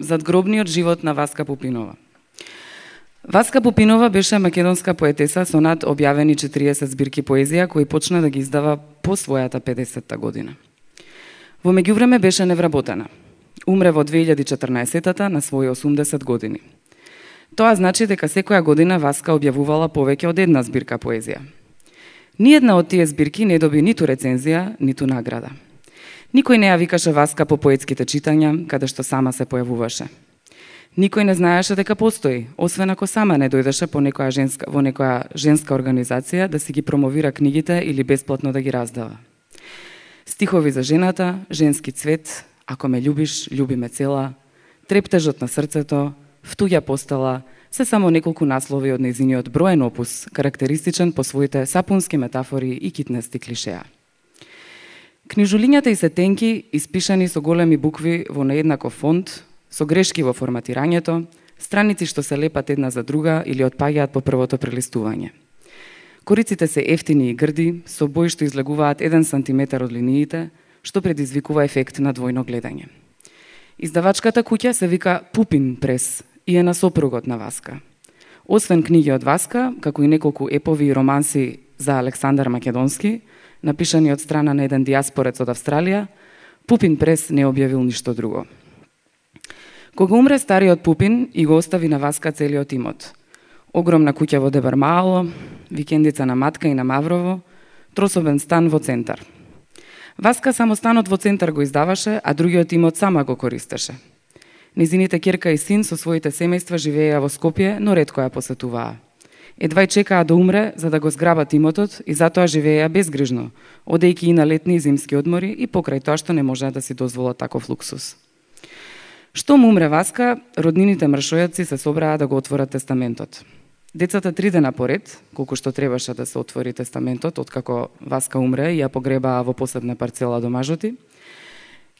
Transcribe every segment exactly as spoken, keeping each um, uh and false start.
Задгробниот живот на Васка Пупинова. Васка Пупинова беше македонска поетеса со над објавени четириесет збирки поезија кои почна да ги издава по својата педесетта година. Во меѓувреме беше невработена. Умре во две илјади и четрнаесеттата на своји осумдесет години. Тоа значи дека секоја година Васка објавувала повеќе од една збирка поезија. Ниедна од тие збирки не доби ниту рецензија, ниту награда. Никој не ја викаше Васка по поетските читања, каде што сама се појавуваше. Никој не знаеше дека постои, освен ако сама не дојдеше по некоја женска, во некоја женска организација да си ги промовира книгите или бесплатно да ги раздава. Стихови за жената, женски цвет, ако ме љубиш, љуби ме цела, трептежот на срцето, втуѓа постала, се само неколку наслови од нејзиниот броен опус, карактеристичен по своите сапунски метафори и китнести клишеа. Книжулињата и се тенки, испишани со големи букви во нееднаков фонт, со грешки во форматирањето, страници што се лепат една за друга или отпаѓаат по првото прелистување. Кориците се ефтини и грди, со бои што излегуваат еден сантиметар од линиите, што предизвикува ефект на двојно гледање. Издавачката куќа се вика Пупин прес и е на сопругот на Васка. Освен книги од Васка, како и неколку епови и романси за Александар Македонски, напишани од страна на еден диаспорец од Австралија, Пупин прес не објавил ништо друго. Кога умре стариот Пупин и го остави на Васка целиот имот. Огромна куќа во Дебармаало, викендица на Матка и на Маврово, трособен стан во центар. Васка само станот во центар го издаваше, а другиот имот сама го користеше. Низините ќерка и син со своите семејства живееја во Скопје, но ретко ја посетуваа. Едва и чекаа да умре за да го зграбат имотот и затоа живееја безгрижно, одејќи и на летни и зимски одмори и покрај тоа што не можеа да си дозволат таков луксус. Штом умре Васка, роднините мршојаци се собраа да го отворат тестаментот. Децата три дена поред, колку што требаше да се отвори тестаментот, откако Васка умре и ја погребаа во посебна парцела до мажоти,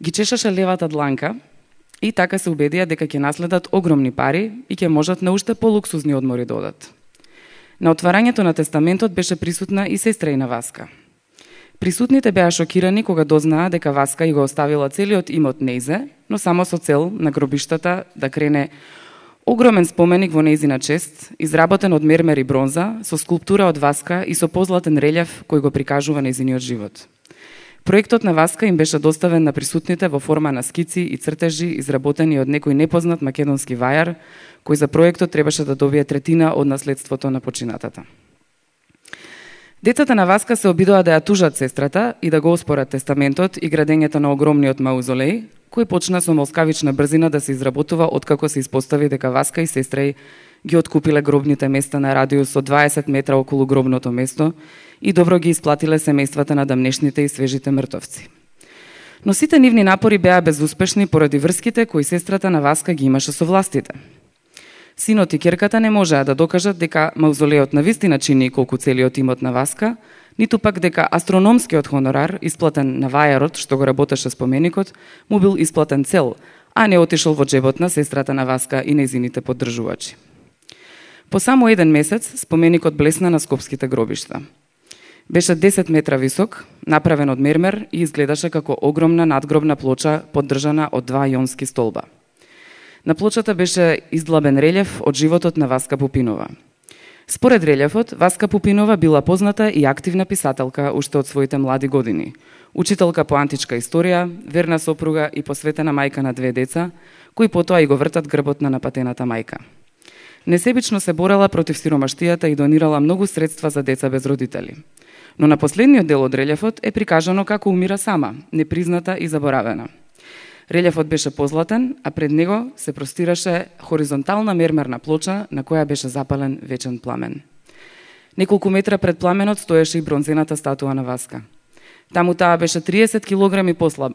ги чешаше левата дланка и така се убедија дека ќе наследат огромни пари и ќе можат на уште полуксузни одмори да одат. На отварањето на тестаментот беше присутна и сестра на Васка. Присутните беа шокирани кога дознаа дека Васка и го оставила целиот имот нејзе, но само со цел на гробиштата да крене огромен споменик во нејзина чест, изработен од мермер и бронза, со скулптура од Васка и со позлатен релјеф кој го прикажува нејзиниот живот. Проектот на Васка им беше доставен на присутните во форма на скици и цртежи изработени од некој непознат македонски вајар, кој за проектот требаше да добие третина од наследството на починатата. Децата на Васка се обидоа да ја тужат сестрата и да го оспорат тестаментот и градењето на огромниот маузолеј, кој почна со молскавична брзина да се изработува откако се испостави дека Васка и сестра ги откупиле гробните места на радиус од дваесет метра околу гробното место и добро ги исплатиле семејствата на дамнешните и свежите мртовци. Но сите нивни напори беа безуспешни поради врските кои сестрата на Васка ги имаше со властите. Синот и ќерката не можеа да докажат дека маузолеот навистина чини колку целиот имот на Васка, ниту пак дека астрономскиот хонорар, исплатен на вајарот што го работеше споменикот, му бил исплатен цел, а не отишол во джебот на сестрата на Васка и нејзините поддржувачи. По само еден месец споменикот блесна на скопските гробишта. Беше десет метра висок, направен од мермер и изгледаше како огромна надгробна плоча поддржана од два јонски столба. На плочата беше издлабен релјеф од животот на Васка Пупинова. Според релјефот, Васка Пупинова била позната и активна писателка уште од своите млади години, учителка по античка историја, верна сопруга и посветена мајка на две деца, кои потоа и го вртат грбот на напатената мајка. Несебично се борела против сиромаштијата и донирала многу средства за деца без родители. Но на последниот дел од релјефот е прикажано како умира сама, непризната и заборавена. Релјефот беше позлатен, а пред него се простираше хоризонтална мермерна плоча на која беше запален вечен пламен. Неколку метра пред пламенот стоеше и бронзената статуа на Васка. Таму таа беше триесет килограми послаб.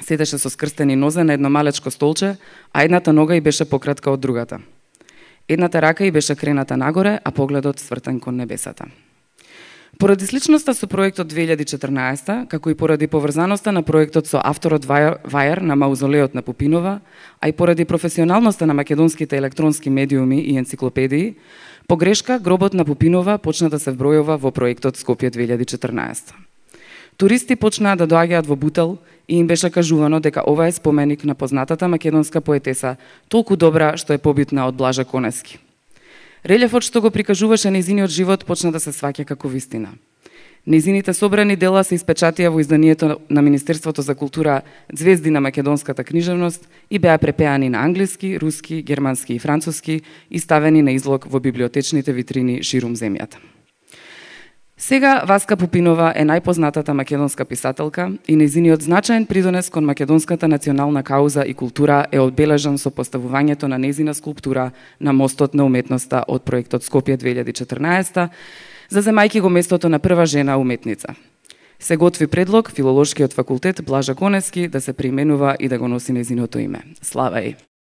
Седеше со скрстени нозе на едно малечко столче, а едната нога ѝ беше пократка од другата. Едната рака ѝ беше крената нагоре, а погледот свртен кон небесата. Поради сличноста со проектот две илјади и четрнаесетта, како и поради поврзаноста на проектот со авторот вајар на маузолеот на Пупинова, а и поради професионалноста на македонските електронски медиуми и енциклопедии, по грешка гробот на Пупинова почна да се вбројува во проектот Скопје две илјади и четрнаесетта. Туристи почнаа да доаѓаат во Бутел и им беше кажувано дека ова е споменик на познатата македонска поетеса, толку добра што е побитна од Блажа Конески. Релефот што го прикажуваше нејзиниот живот почна да се сваќа како вистина. Нејзините собрани дела се испечатија во изданието на Министерството за култура Звезди на македонската книжевност и беа препеани на англиски, руски, германски и француски и ставени на излог во библиотечните витрини ширум земјата. Сега Васка Пупинова е најпознатата македонска писателка и нејзиниот значаен придонес кон македонската национална кауза и култура е одбележан со поставувањето на нејзина скулптура на мостот на уметноста од проектот Скопје две илјади и четрнаесета, заземајќи го местото на прва жена уметница. Се готви предлог Филолошкиот факултет Блажа Конески да се преименува и да го носи нејзиното име. Слава ѝ!